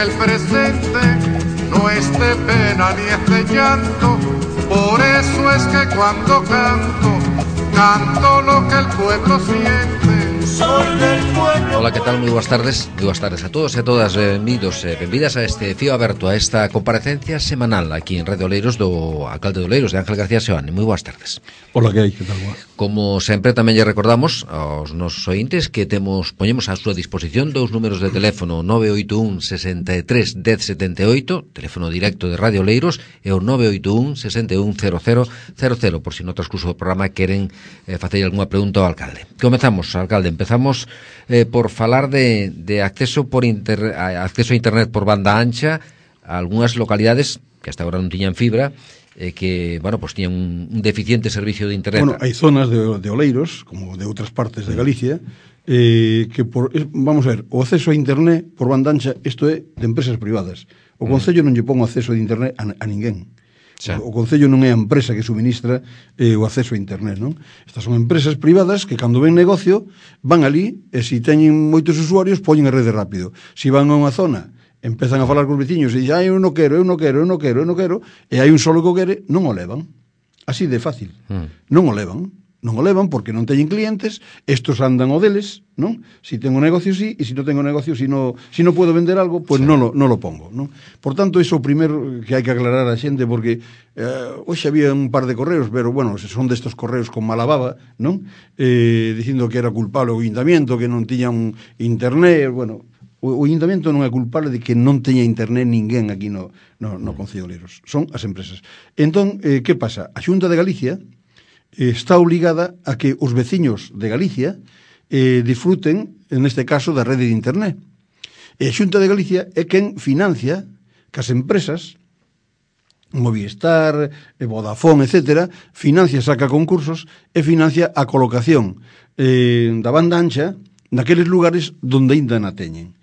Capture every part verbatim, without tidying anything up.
el presente no es de pena ni es de llanto. Por eso es que cuando canto, canto lo que el pueblo siente. Soy del pueblo. Hola, que tal? Moi boas tardes. Moi boas tardes a todos e a todas. Benvidos e benvidas a este fío aberto, a esta comparecencia semanal aquí en Radio Oleiros do alcalde de Oleiros, de Ángel García Seoane. Moi boas tardes. Hola, que hai? Que tal? Como sempre, tamén lle recordamos aos nosos ointes que temos poñemos á súa disposición dous números de teléfono: nove oito un, sesenta e tres, dez, setenta e oito, teléfono directo de Radio Oleiros, e o nove oito un, sesenta e un, cero cero cero cero, por si no transcurso do programa queren eh, facer algunha pregunta ao alcalde. Comezamos, alcalde, empezamos eh, por falar de, de acceso por inter, acceso a internet por banda ancha a algunhas localidades que hasta agora non tiñan fibra, eh, que, bueno, pues tiñan un, un deficiente servicio de internet. Bueno, hai zonas de, de Oleiros, como de outras partes de Galicia, eh, que por, vamos a ver, o acceso a internet por banda ancha, isto é de empresas privadas. O Concello non lle pon o acceso de internet a, a ninguén. O, o Concello non é a empresa que suministra eh, o acceso a internet, non? Estas son empresas privadas que, cando ven negocio, van ali, e se teñen moitos usuarios, poñen a rede rápido. Se van a unha zona, empezan a falar cos veciños e dicen, ah, eu non quero, eu non quero, eu non quero, eu non quero, e hai un solo que o quere, non o levan. Así de fácil. Mm. Non o levan. Non o levan porque non teñen clientes, estos andan o deles, non? Si tengo negocio, sí, e se non tengo negocio, si non si no puedo vender algo, pois pues sí. non, lo, non lo pongo, non? Por tanto, iso primeiro que hai que aclarar a xente, porque eh, hoxe había un par de correos, pero, bueno, son destos correos con mala baba, non? Eh, dicindo que era culpable o Ayuntamiento, que non tiñan internet, bueno... O Ayuntamiento non é culpable de que non teña internet ninguén aquí no, no, no Concello de Oleiros. Son as empresas. Entón, eh, que pasa? A Xunta de Galicia eh, está obligada a que os veciños de Galicia eh, disfruten, en este caso, da rede de internet. E a Xunta de Galicia é quen financia que as empresas, Movistar, Vodafone, etcétera, financia, saca concursos e financia a colocación eh, da banda ancha naqueles lugares donde ainda na teñen.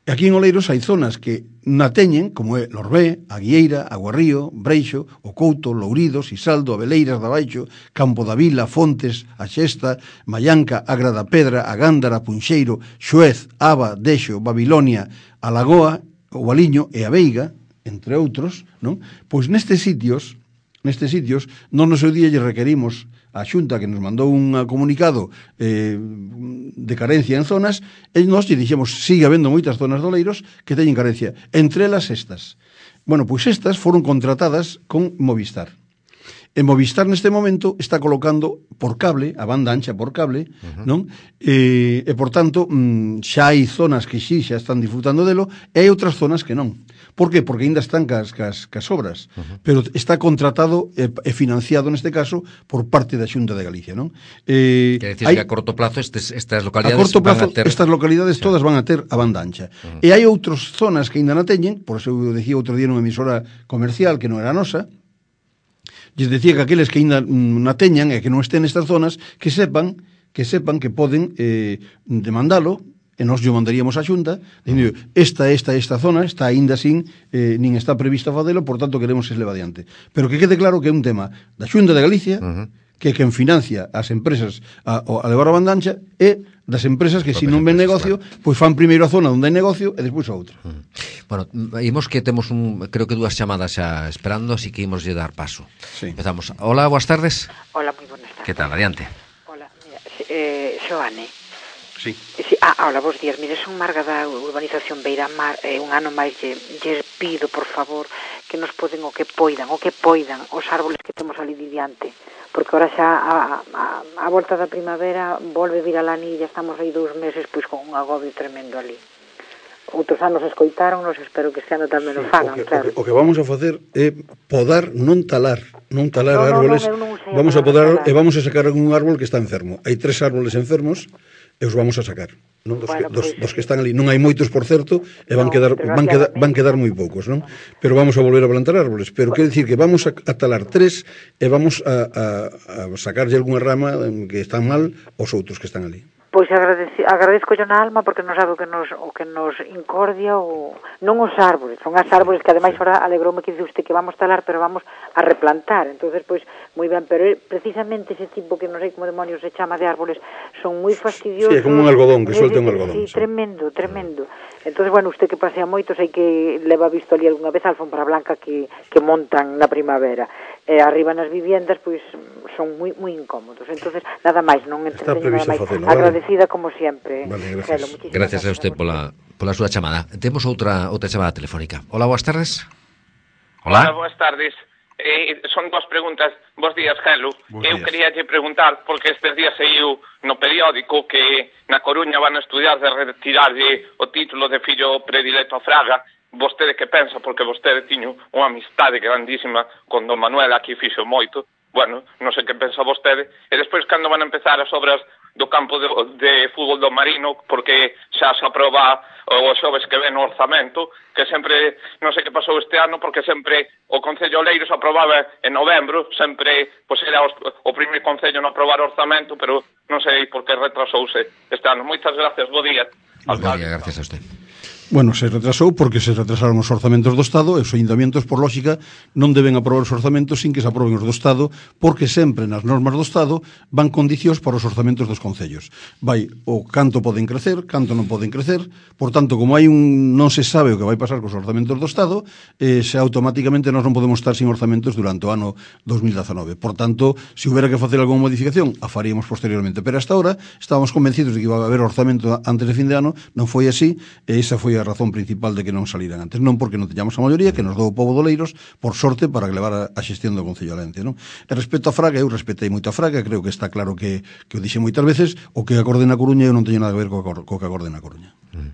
Aquí en Oleiros hai zonas que na teñen, como é Lorbé, Aguieira, Aguarrío, Breixo, O Couto, Lourido, Sisaldo, Abeleiras da Baixo, Campo da Vila, Fontes, A Xesta, Mallanca, Agra da Pedra, A Gándara, Punxeiro, Xuez, Aba, Deixo, Babilonia, A Lagoa, O Valiño e a Veiga, entre outros, non? Pois nestes sitios, nestes sitios, non no seu día lle requerimos a Xunta que nos mandou un comunicado eh, de carencia en zonas, e nós lle dixemos, sigue habendo moitas zonas de Oleiros que teñen carencia, entre elas estas. Bueno, pois estas foron contratadas con Movistar. E Movistar neste momento está colocando por cable, a banda ancha por cable, uh-huh. non? E, e por tanto, xa hai zonas que sí xa están disfrutando delo, e hai outras zonas que non. Por que? Porque ainda están cas, cas, cas obras, uh-huh. pero está contratado e, e financiado neste caso por parte da Xunta de Galicia, non? Eh, Quer decir hai, que a corto plazo estes, estas localidades a corto plazo, van a ter... estas localidades sí. todas van a ter a banda ancha. Uh-huh. E hai outras zonas que ainda non teñen, por eso eu decía outro día nunha emisora comercial que non era nosa, lles decía que aqueles que ainda na teñan e que non estén nestas zonas, que sepan que sepan que poden eh, demandalo, e nós lle mandaríamos a Xunta, dicindo, esta, esta, esta zona está aínda sin, eh, nin está prevista facelo, por tanto queremos que se leva adiante. Pero que quede claro que é un tema da Xunta de Galicia, uh-huh. que é quen financia as empresas a, a levar a banda ancha, e das empresas que se non ven negocio, claro. pois fan primeiro a zona onde hai negocio e despois a outra. Uh-huh. Bueno, imos que temos un, creo que dúas chamadas xa esperando, así que imos lle dar paso. Sí. Empezamos. Hola, boas tardes. Hola, moi buenas tardes. Que tal? Adiante. Hola, mira, eh, Xoane. Sí. sí. Ah, hola, bons días. Mire, son Marga da urbanización Beiramar, eh, un ano máis lle, lle pido, por favor, que nos poden o que poidan, o que poidan os árboles que temos ali diante, porque ahora xa a, a, a volta da primavera volve vir a lanilla, estamos aí dous meses pois con un agobio tremendo ali. Outros anos escoitaron-nos, espero que este ano tamén o fagan, sí, o que, claro. O que, o que vamos a facer é podar, non talar, non talar no, árboles, no, no, vamos a podar e vamos a sacar un árbol que está enfermo. Hai tres árboles enfermos e os vamos a sacar, non? Dos, bueno, que, dos, pues, dos que están ali, non hai moitos, por certo, e van no, quedar van quedar van quedar moi poucos, non? Pero vamos a volver a plantar árboles, pero bueno. Quer dicir que vamos a, a talar tres e vamos a, a, a sacarlle algunha rama que están mal aos outros que están ali. Pois agradeci, agradezco yo na alma porque non sabe o que nos, o que nos incordia o, non os árboles, son as árboles que ademais ahora alegroume que dice usted que vamos talar pero vamos a replantar, entonces pois moi ben, pero precisamente ese tipo que non sei como demonios se chama de árboles son moi fastidiosos. Sí, é como un algodón, que suelte un algodón. Sí, sí, tremendo, tremendo. Entonces, bueno, usted que pasea moito, sei que leva visto ali algunha vez a alfombra blanca que, que montan na primavera. E arriba nas viviendas, pois, son moi moi incómodos. Entonces, nada máis, non entreteño nada máis. Facelo, agradecida vale? Como sempre. Vale, gracias. Gelo, gracias a usted pola, pola súa chamada. Temos outra outra chamada telefónica. Hola, boas tardes. Hola. Hola, boas tardes. Eh, son dos preguntas. Bos días, Gelo. Eu quería lle preguntar, porque estes días saiu no periódico que na Coruña van a estudiar de retirarlle o título de fillo predilecto a Fraga. Vostede que pensa, porque vostede tiño unha amistade grandísima con don Manuel, aquí fixo moito. Bueno, non sei que pensa vostede. E despois, cando van a empezar as obras do campo de, de fútbol do Marino, porque xa se aproba os xoves que ven no orzamento, que sempre, non sei que pasou este ano, porque sempre o Concello Oleiros aprobaba en novembro, sempre, pois era os, o primeiro Concello no aprobar o orzamento, pero non sei por que retrasouse este ano. Moitas gracias, bo día. Bo día, gracias a usted. Bueno, se retrasou porque se retrasaron os orzamentos do Estado e os ayuntamientos, por lógica, non deben aprobar os orzamentos sin que se aproben os do Estado, porque sempre nas normas do Estado van condicións para os orzamentos dos concellos. Vai o canto poden crecer, canto non poden crecer, por tanto, como hai un non se sabe o que vai pasar cos orzamentos do Estado, eh, se automáticamente nós non podemos estar sin orzamentos durante o ano dos mil dezanove. Por tanto, se houbera que facer algunha modificación, a faríamos posteriormente. Pero hasta ahora estábamos convencidos de que iba a haber orzamento antes de fin de ano, non foi así, e esa foi a razón principal de que non saliran antes, non porque non teñamos a maioría, que nos dou o pobo de Oleiros, por sorte, para que levar a xestión do Concello Alente, non? E respecto a Fraga, eu respetei moito a Fraga, creo que está claro que, que o dixe moitas veces, o que acorde na Coruña eu non teño nada a ver co, co que acorde na Coruña. Mm.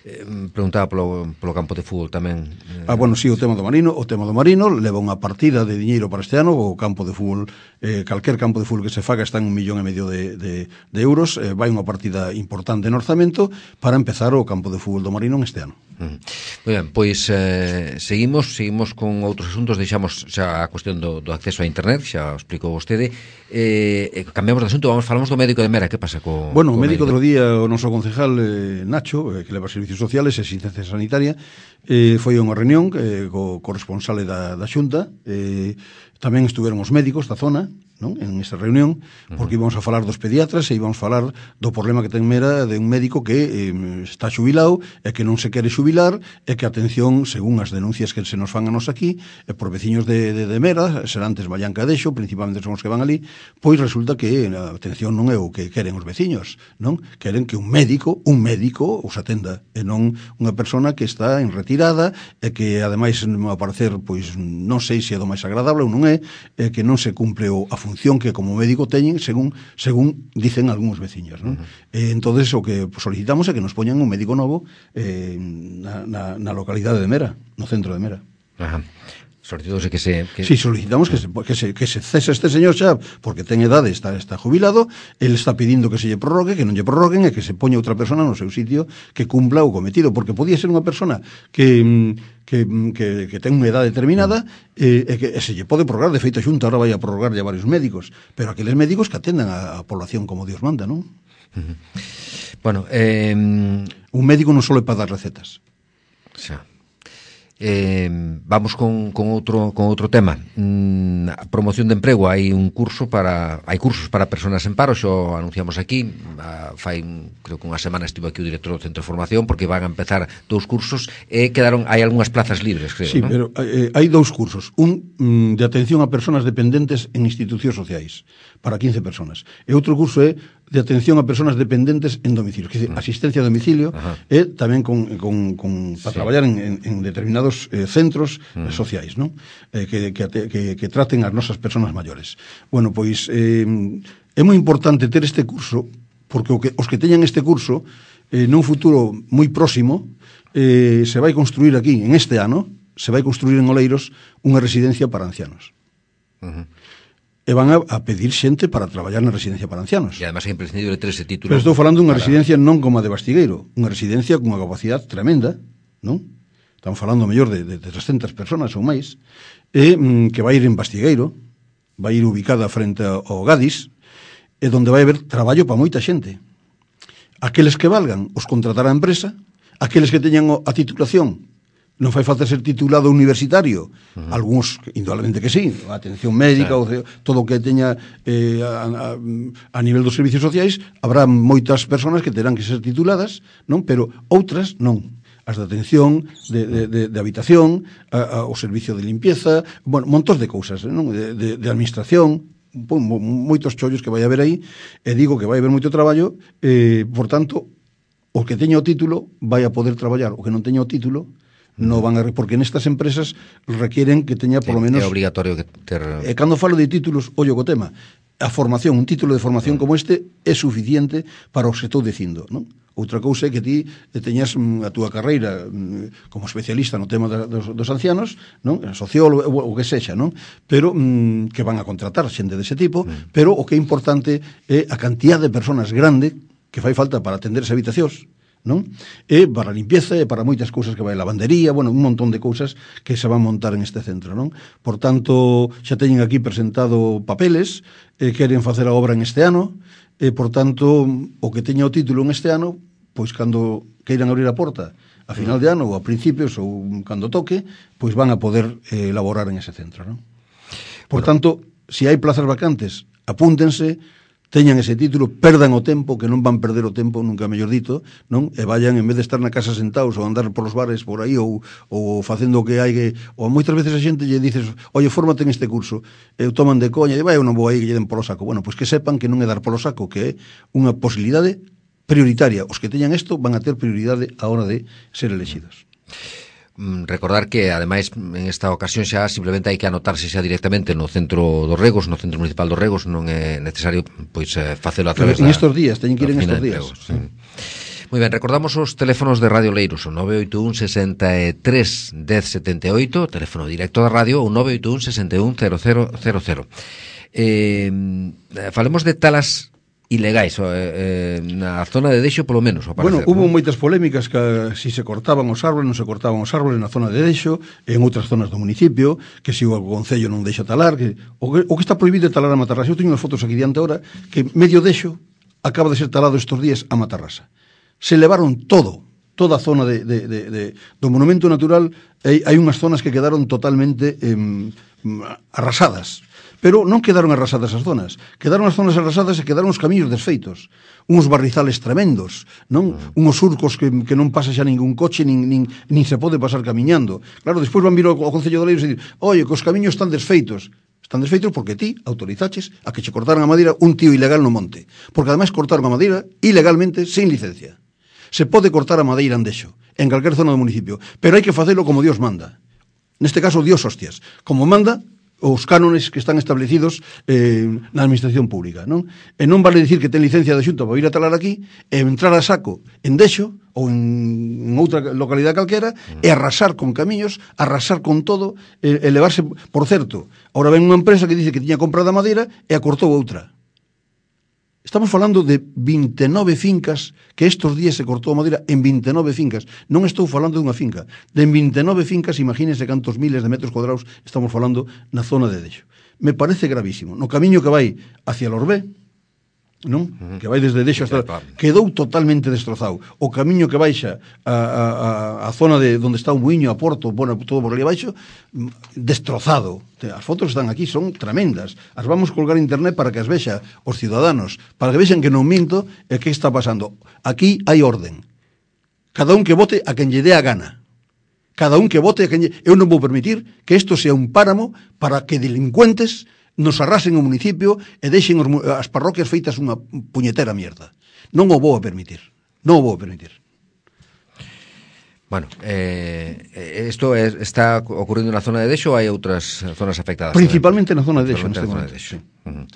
Eh, preguntaba polo, polo campo de fútbol tamén. Eh... Ah, bueno, sí, o tema do Marino, o tema do Marino leva unha partida de diñeiro para este ano, o campo de fútbol, eh, calquer campo de fútbol que se faga está en un millón e medio de, de, de euros, eh, vai unha partida importante en orzamento para empezar o campo de fútbol do Marino en este ano. Mm. Moi ben, pois eh, seguimos, seguimos con outros asuntos, deixamos xa a cuestión do, do acceso a internet, xa o explicou vostede, eh, eh, cambiamos de asunto, vamos, falamos do médico de Mera, que pasa co... Bueno, o médico do día, o noso concejal eh, Nacho, eh, que leva servicios sociales e asistencia sanitaria, eh, foi unha reunión eh, co corresponsale da, da Xunta, eh, tamén estuveron os médicos da zona, non? En esta reunión, porque íbamos a falar dos pediatras e íbamos a falar do problema que ten Mera de un médico que eh, está xubilado e que non se quere xubilar e que, atención, según as denuncias que se nos fan a nos aquí, e por veciños de, de, de Mera, Serantes, Vallanca Dexo, principalmente son os que van ali, pois resulta que, a atención, non é o que queren os veciños, non? Queren que un médico, un médico, os atenda, e non unha persona que está en retirada e que, ademais, a parecer, pois, non sei se é do máis agradable ou non é, e que non se cumple o, a función que como médico teñen según según dicen algúns veciños, non? Uh-huh. Eh, entonces o que solicitamos é que nos poñan un médico novo eh, na, na, na localidade de Mera, no centro de Mera. Ajá. Solicitamos que se... Que... Sí, solicitamos que se, que, se, que se cese este señor xa, porque ten edade, está, está jubilado, ele está pedindo que se lle prorrogue, que non lle prorroguen e que se poña outra persona no seu sitio que cumpla o cometido, porque podía ser unha persona que... Que, que, que ten unha edade determinada eh, e que e se lle pode prorrogar, de feito a Xunta ahora vai a prorrogar a varios médicos, pero aqueles médicos que atendan a, a población como Dios manda, non? Uh-huh. Bueno, eh... un médico non só é para dar recetas. Xa. Eh, vamos con, con outro con outro tema. Mm, a promoción de emprego, hai un curso para hai cursos para persoas en paro, xo anunciamos aquí, a, fai creo que unha semana estivo aquí o director do Centro de Formación porque van a empezar dous cursos e quedaron hai algunhas plazas libres, creo, sí, ¿no? Pero eh, hai dous cursos, un mm, de atención a persoas dependentes en institucións sociais para quince persoas, e outro curso é de atención a persoas dependentes en domicilio, que é uh-huh. asistencia a domicilio. Ajá. E tamén con, con, con para sí. traballar en, en, en determinados eh, centros uh-huh. sociais, non? Eh, que, que, que, que traten as nosas persoas maiores. Bueno, pois eh, é moi importante ter este curso, porque o que, os que teñan este curso eh, nun futuro moi próximo eh, se vai construir aquí, en este ano se vai construir en Oleiros unha residencia para ancianos. Uh-huh. E van a, a pedir xente para traballar na residencia para ancianos. E además é imprescindible ter ese título. Pero estou falando dunha para... residencia non como a de Bastigueiro, unha residencia con unha capacidade tremenda, non? Estamos falando mellor de, de, de trescentas personas ou máis, e mm, que vai ir en Bastigueiro, vai ir ubicada frente ao Gadis, e donde vai haber traballo para moita xente. Aqueles que valgan os contratará a empresa, aqueles que teñan a titulación, non fai falta ser titulado universitario, uh-huh. algúns, indudablemente que sí, a atención médica, claro. o, todo o que teña eh, a, a, a nivel dos servicios sociais, habrá moitas persoas que terán que ser tituladas, non? Pero outras non. As de atención, de, de, de, de habitación, a, a, o servicio de limpieza, bueno, montón de cousas, non? De, de, de administración, moitos chollos que vai haber aí, e digo que vai haber moito traballo, eh, por tanto, o que teña o título vai a poder traballar, o que non teña o título no van a, porque nestas empresas requieren que teña por lo menos é obrigatorio que ter... E cando falo de títulos, ollo co tema, a formación, un título de formación como este é suficiente para o que estou dicindo, non? Outra cousa é que ti teñas a túa carreira como especialista no tema dos, dos ancianos, non? Sociólogo, o que sexa, non? Pero mm, que van a contratar xente dese tipo, mm. pero o que é importante é a cantidad de persoas grande que fai falta para atender as habitacións, non? E para a limpieza e para moitas cousas que vai a lavandería, bueno, un montón de cousas que se van montar en este centro, non? Por tanto, xa teñen aquí presentado papeles, eh, queren facer a obra en este ano, e por tanto, o que teña o título en este ano, pois cando queiran abrir a porta a final de ano ou a principios ou cando toque, pois van a poder eh, elaborar en ese centro, non? Por bueno. tanto, se hai plazas vacantes, apúntense, teñan ese título, perdan o tempo, que non van perder o tempo, nunca mellor dito, non? E vayan, en vez de estar na casa sentados ou andar polos bares por aí ou, ou facendo o que hai que... Ou moitas veces a xente lle dices, oye, fórmate en este curso, e toman de coña, e vai, eu non vou aí que lle den polo saco. Bueno, pois que sepan que non é dar polo saco, que é unha posibilidade prioritaria. Os que teñan isto van a ter prioridade a hora de ser elegidos. Recordar que, ademais, en esta ocasión xa simplemente hai que anotarse xa directamente no centro dos Regos, no centro municipal dos Regos, non é necesario pois facelo a través en da... En estes días, teñen que ir en estes días. Sí. Moi ben, recordamos os teléfonos de Radio Leiros, o nove oito un, sesenta e tres, dez, setenta e oito, teléfono directo da radio, o nove oito un, sesenta e un, cero cero cero cero. Eh, falemos de talas ilegais eh, na zona de Deixo, polo menos, ao parecer. Bueno, hubo ¿no? moitas polémicas que si se cortaban os árboles, non se cortaban os árboles na zona de Deixo, en outras zonas do municipio, que si o Concello non deixa talar, que o, que o que está prohibido é talar a Matarrasa. Eu teño unhas fotos aquí diante ahora, que medio Deixo acaba de ser talado estes días a Matarrasa. Se levaron todo, toda a zona de, de, de, de, do monumento natural, hai, hai unhas zonas que quedaron totalmente eh, arrasadas. Pero non quedaron arrasadas as zonas, quedaron as zonas arrasadas e quedaron os camiños desfeitos, uns barrizales tremendos, non? Mm. Uns surcos que, que non pasa xa ningún coche, nin, nin, nin se pode pasar camiñando. Claro, despois van vir ao, ao Concello de Leiros e dir, oye, que os camiños están desfeitos. Están desfeitos porque ti autorizaches a que che cortaran a madeira un tío ilegal no monte. Porque ademais cortaron a madeira ilegalmente, sin licencia. Se pode cortar a madeira en Deixo, en calquer zona do municipio, pero hai que facelo como Dios manda. Neste caso, Dios hostias. Como manda os cánones que están establecidos eh, na administración pública, non? E non vale dicir que ten licencia de Xunta para ir a talar aquí e entrar a saco en Deixo ou en, en outra localidade calquera e arrasar con camiños, arrasar con todo e, e levarse, por certo, ahora ven unha empresa que dice que tiña comprado a madeira e a cortou outra. Estamos falando de vinte e nove fincas que estes días se cortou a madeira en vinte e nove fincas. Non estou falando dunha finca. De vinte e nove fincas, imagínense cantos miles de metros cuadrados estamos falando na zona de Deixo. Me parece gravísimo. No camiño que vai hacia Lorbé, non? Uh-huh. Que vai desde Deixo hasta... Quedou totalmente destrozado. O camiño que baixa a, a, a zona de onde está o Muiño, a Porto, bueno, todo por ali abaixo, destrozado. As fotos están aquí, son tremendas. As vamos colgar en internet para que as vexa os ciudadanos, para que vexan que non minto e que está pasando. Aquí hai orden. Cada un que vote a quen lle dé a gana. Cada un que vote a quen lle... Eu non vou permitir que isto sea un páramo para que delincuentes nos arrasen o municipio e deixen os, as parroquias feitas unha puñetera mierda. Non o vou a permitir. Non o vou a permitir. Bueno, eh, esto es, está ocurrindo na zona de Deixo ou hai outras zonas afectadas? Principalmente na zona de Deixo. Na zona de Deixo. Sí. Uh-huh.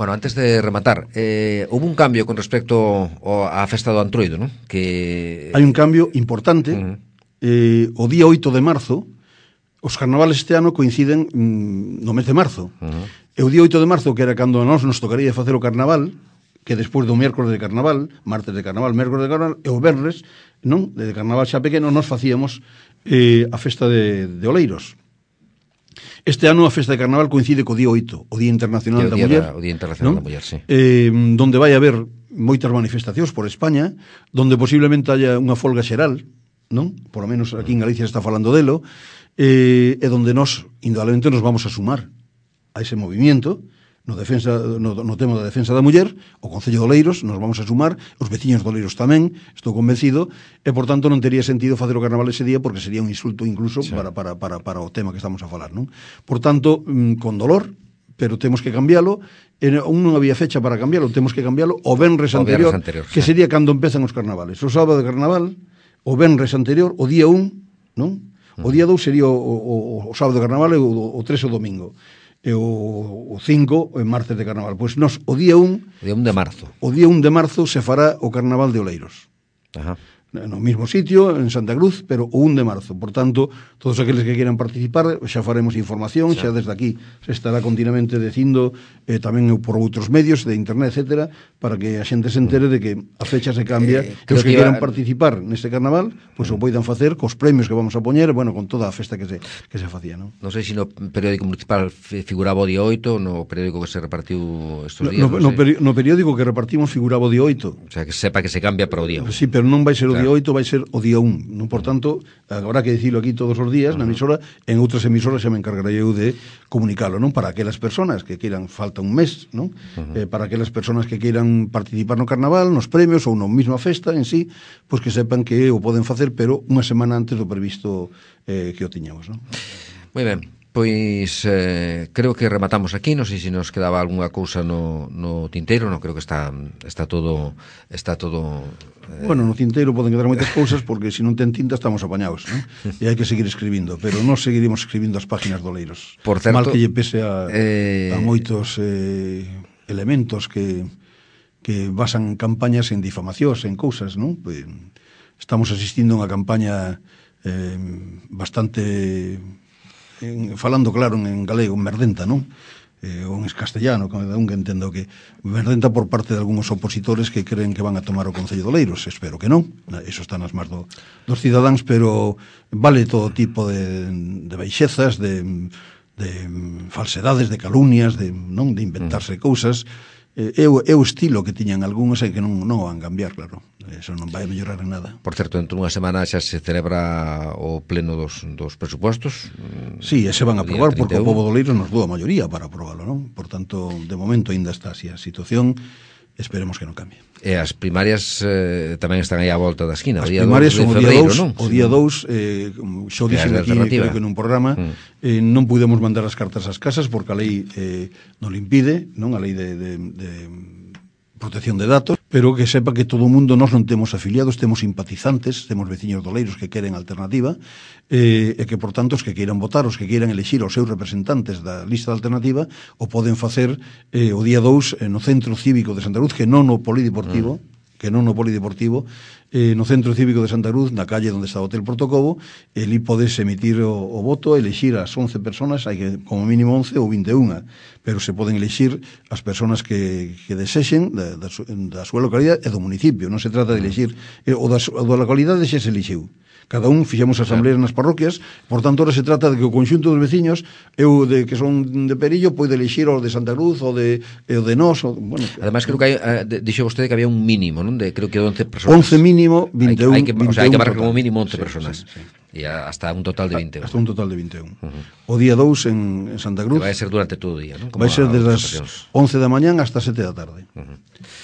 Bueno, antes de rematar, eh, hubo un cambio con respecto á festa do Antroido, ¿no? Que... Hai un cambio importante. Uh-huh. eh, o día oito de marzo, os carnavales este ano coinciden mm, no mes de marzo. Uh-huh. E o día oito de marzo, que era cando a nós nos tocaría facer o carnaval, que despois do miércoles de carnaval, martes de carnaval, miércoles de carnaval, e o venres, non, de carnaval xa pequeno, nos facíamos eh, a festa de, de Oleiros. Este ano a festa de carnaval coincide co día oito, o Día Internacional o da día Muller, da, o Día Internacional ¿no? da Muller, sí. Eh, donde vai haber moitas manifestacións por España, donde posiblemente haya unha folga xeral, non? Por lo menos aquí en Galicia se está falando delo, eh, e donde nós, indudablemente, nos vamos a sumar a ese movimiento, no, defensa, no, no tema da defensa da muller, o Concello de Oleiros, nos vamos a sumar, os veciños de Oleiros tamén, estou convencido, e, por tanto, non tería sentido facer o carnaval ese día, porque sería un insulto incluso sí. para, para, para, para o tema que estamos a falar, non? Por tanto, con dolor, pero temos que cambiálo, e aún non había fecha para cambiálo, temos que cambiálo o venres anterior, anterior que sí. sería cando empezan os carnavales. O sábado de carnaval, o venres anterior, o día un, non? O día dous sería o, o, o sábado de carnaval e o, o tres o domingo. E o, o cinco en martes de carnaval. Pois nos, o día un... O día un de marzo. O día un de marzo se fará o carnaval de Oleiros. Ajá. No mismo sitio, en Santa Cruz, pero o un de marzo. Por tanto, todos aqueles que quieran participar, xa faremos información, xa desde aquí se estará continuamente dicindo, eh, tamén por outros medios de internet, etcétera, para que a xente se entere de que a fecha se cambia, eh, que os que, que quieran iba... participar neste carnaval, pois pues, mm. o poidan facer cos premios que vamos a poñer, bueno, con toda a festa que se, que se facía, non? Non sei se no periódico municipal figuraba o día oito, no periódico que se repartiu estos días, no, no, no, peri no periódico que repartimos figuraba o día oito. O sea, que sepa que se cambia para o día un. Sí, pero non vai ser o día oito, vai ser o día un, non? Por tanto, habrá que dicilo aquí todos os días na emisora, en outras emisoras xa me encargarei eu de comunicalo, non? Para aquelas persoas que queiran, falta un mes, non? Uh-huh. eh, para aquelas persoas que queiran participar no carnaval, nos premios ou na mesma festa en sí, pois que sepan que o poden facer, pero unha semana antes do previsto eh, que o tiñamos, non? Moi ben. Pois eh, creo que rematamos aquí, non sei se nos quedaba algunha cousa no, no tinteiro, non creo que está está todo está todo eh... Bueno, no tinteiro poden quedar moitas cousas porque se non ten tinta estamos apañados, non? E hai que seguir escribindo, pero non seguiremos escribindo as páginas do Oleiros. Por certo, mal que lle pese a, eh... a moitos eh, elementos que que basan campañas en difamacións, en cousas, non? Pues, estamos asistindo a unha campaña eh, bastante en, falando claro en galego, en merdenta, non? Eh, ou en castellano, cada un que entendo que merdenta por parte de algúns opositores que creen que van a tomar o Concello de Oleiros. Espero que non, eso está nas más do, dos cidadáns, pero vale todo tipo de, de baixezas, de, de falsedades, de calumnias, de, non, de inventarse mm. cousas. É o, é o estilo que tiñan algúns e que non, non van cambiar, claro. Eso non vai a mellorar en nada. Por certo, dentro dunha semana xa se celebra o pleno dos, dos presupostos. Sí, e se van a aprobar porque o povo do Oleiros nos dou a maioría para aprobarlo, non? Por tanto, de momento ainda está así a situación, esperemos que non cambie. E as primarias eh, tamén están aí á volta da esquina. As primarias son o día dous, o día dous, eh, xo dixen aquí, creo que nun programa, mm. eh, non pudemos mandar as cartas ás casas porque a lei eh, non le impide, non? A lei de, de, de protección de datos, pero que sepa que todo o mundo, nós non temos afiliados, temos simpatizantes, temos veciños doleiros que queren alternativa, eh, e que, por tanto, os que queiran votar, os que queiran elexir os seus representantes da lista de alternativa, o poden facer eh, o día dous eh, no Centro Cívico de Santa Cruz, que non no Polideportivo, mm. que non no Polideportivo, eh, no Centro Cívico de Santa Cruz, na calle onde está o Hotel Portocobo, eli podes emitir o, o voto, elexir as once personas, hai que como mínimo once ou vinte e unha, pero se poden elexir as personas que, que desexen da, da, da súa localidade e do municipio, non se trata de elexir, eh, o, da, o da localidade xa se elixiu. Cada un fixemos asambleas nas parroquias, por tanto, ahora se trata de que o conxunto dos veciños, eu de que son de Perillo, poide elixir o de Santa Cruz, o de, o de Nós, o, bueno... Además, creo que hai, eh, dixo vostede que había un mínimo, non? De, creo que once personas. once mínimo, vinte e un. Hai que, o sea, hai que marcar como mínimo once sí, personas. Sí, sí. E hasta un total de vinte e un. Hasta un total de vinte e un. Uh-huh. O día dous en, en Santa Cruz. Que vai ser durante todo o día, non? Vai ser desde as once da mañán hasta sete da tarde. Uh-huh.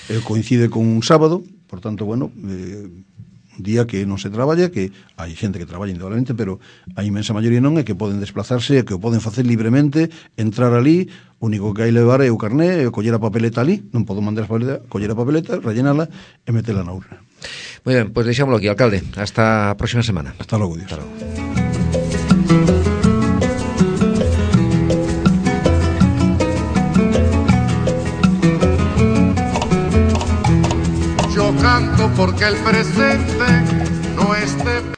eh, coincide con un sábado, por tanto, bueno... Eh, día que non se traballa, que hai xente que traballa indudablemente, pero a inmensa maioría non, é que poden desplazarse, que o poden facer libremente, entrar ali, o único que hai levar é o carné, e coller a papeleta ali, non podo mandar a papeleta, coller a papeleta, rellenala e metela na urna. Moi ben, pois pues deixámoslo aquí, alcalde. Hasta a próxima semana. Hasta logo, Dios. Hasta logo. Yo canto porque el presente no esté